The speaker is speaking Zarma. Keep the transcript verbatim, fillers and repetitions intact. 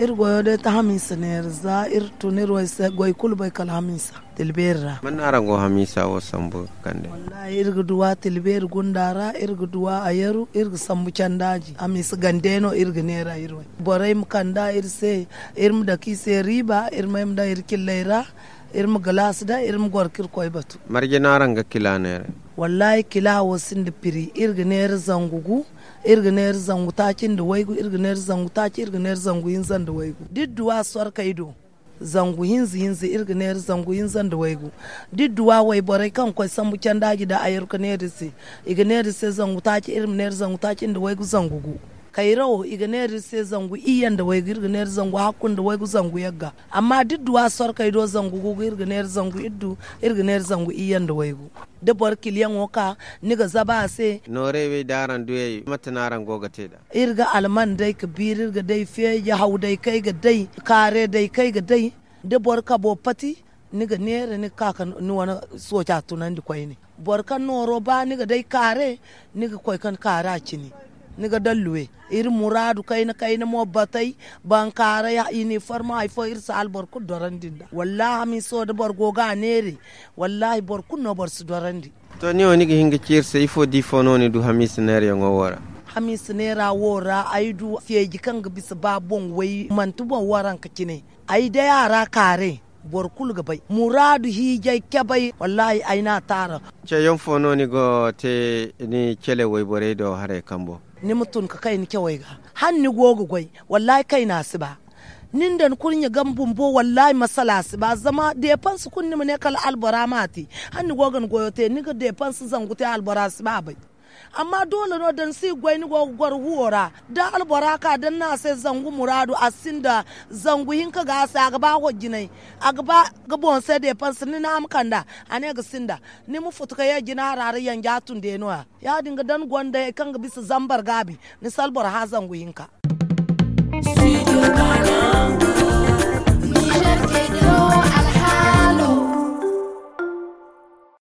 Iri goyo day ta hamiisa neera za iri tun iri way se goy kulu bay kala hamiisa. Tilbeeri ra. Man no araŋ go hamiisa wo sambu ga kande? Wallahi iri ga duwa tilbeeri gunda ra iri ga duwa a yaru iri ga sambu candaaji hamiisa gande no iri ga neera iri way. Borey ma kanda iri se iri ma dake i se riiba iri may ma daŋ iri cilley ra. Iri ma galaasi daŋ iri ma goro ka iri koy batu. Marje no araŋ ga kila neera? Wallahi kila wo sinda piri iri ga neera zangu gu. Iri ga neera zangu taaci nda waygu iri ga neera zangu taaci iri ga neera zangu hinza nda waygu da iri duwa sorkey do. Zangu hinza hinza iri ga neera zangu hinza nda waygu. Da iri duwa wayborey kaŋ ga koy sambu candaaji nda a yaru ga neera iri se. I ga neera iri se zangu taaci iri ma neera zangu taaci nda waygu zangu gu. Kayra wo i ga neera iri se zangu iyye nda waygu iri ga neera zangu hakku nda waygu zangu yagga. Amma da iri duwa sorkey do zangu gu ga iri ga neera zangu iddu. Iri ga neera zangu iyye nda waygu. Da boro kiliyaŋo ka ni ga zaba a se. Noorey wey da araŋ duyey mate no araŋ go ga te nd'a? Iri ga alman day ga biiri iri ga day feeji haw day kaŋ ay ga day kaare day kaŋ ay ga day. Da boro kabo pati ni ga neera ni ga ka ga ni wane sooca tunandi koyne. Boro kaŋ nooro ba ni ga day kaare ni ga koy kaŋ kaare a cine. Ni ga daŋ luwe iri muraadu kayna kayna mo batey. Bankaaray iniformo hari fo iri si alboro kulu dorandi nd'a wallaahi hamiiso da boro go ga a neeray. Wallaahi boro kulu no boro si dorandi. To ni wo ni ga hin ga ci iri se ifo da ifo no ni du hamiisa neerayaŋo wo ra? Hamiisa neera wo ra ay du feeji kaŋ ga bisa ba boŋ way manti boŋ waranka cine. Ay day a ra kaaray boro kulu ga bay muraadu hiijay cabay wallaahi ay n'a taara. Ceeyaŋ fo no ni go te ni cele wayborey do haray kambo? Ni ma tun ka kay ni cawey ga hala ni go ga goy. Wallaahi kayna si ba. Ni nda ni kurɲe game bumbo wallaahi masala si ba zama deepanse kulu ni ma ne kala albora m'a te. Hala ni go ga ni goyo te ni ga deepanse zangu te albora si ba bay. Amma doole no da ni si ga goy ni go ga goro huwo ra da albora ka da ni ne a se zangu muraadu a sinda zangu hinka ga a se a ga ba hojjinay. A ga ba ga boŋ se deepanse ni ne a ma kand'a. A ne ga sinda ni ma futu ka ye jina hara ra yanja tun day no- ya ya- din ga da ni gonda hari kaŋ ga bisa zambar gaabi ni si albora hã zangu hinka.